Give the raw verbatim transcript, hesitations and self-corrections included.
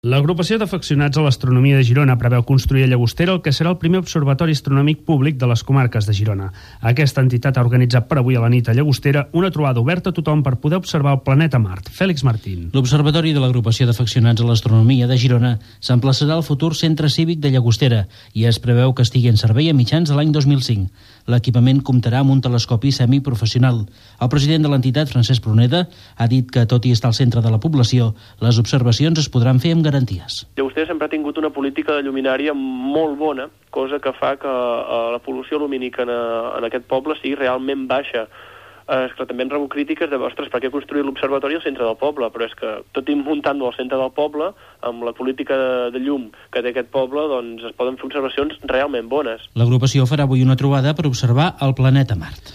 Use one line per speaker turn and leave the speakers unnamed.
L'agrupació d'afeccionats a l'astronomia de Girona preveu construir a Llagostera el que serà el primer observatori astronòmic públic de les comarques de Girona. Aquesta entitat ha organitzat per avui a la nit a Llagostera una trobada oberta a tothom per poder observar el planeta Mart. Fèlix Martín.
L'Observatori de l'Agrupació d'Afeccionats a l'Astronomia de Girona s'emplaçarà al futur Centre Cívic de Llagostera i es preveu que estigui en servei a mitjans de l'any dos mil cinc. L'equipament comptarà amb un telescopi semiprofessional. El president de l'entitat, Francesc Pruneda, ha dit que, tot i estar al centre de la població, les observacions es podran fer amb garanties.
Llagostera sempre ha tingut una política de lluminària molt bona, cosa que fa que uh, la pol·lució lumínica en, uh, en aquest poble sigui realment baixa. Uh, és que també hem rebut crítiques de, ostres, per què construir l'observatori al centre del poble? Però és que, tot i muntant-lo al centre del poble, amb la política de, de llum que té aquest poble, doncs es poden fer observacions realment bones.
L'agrupació farà avui una trobada per observar el planeta Mart.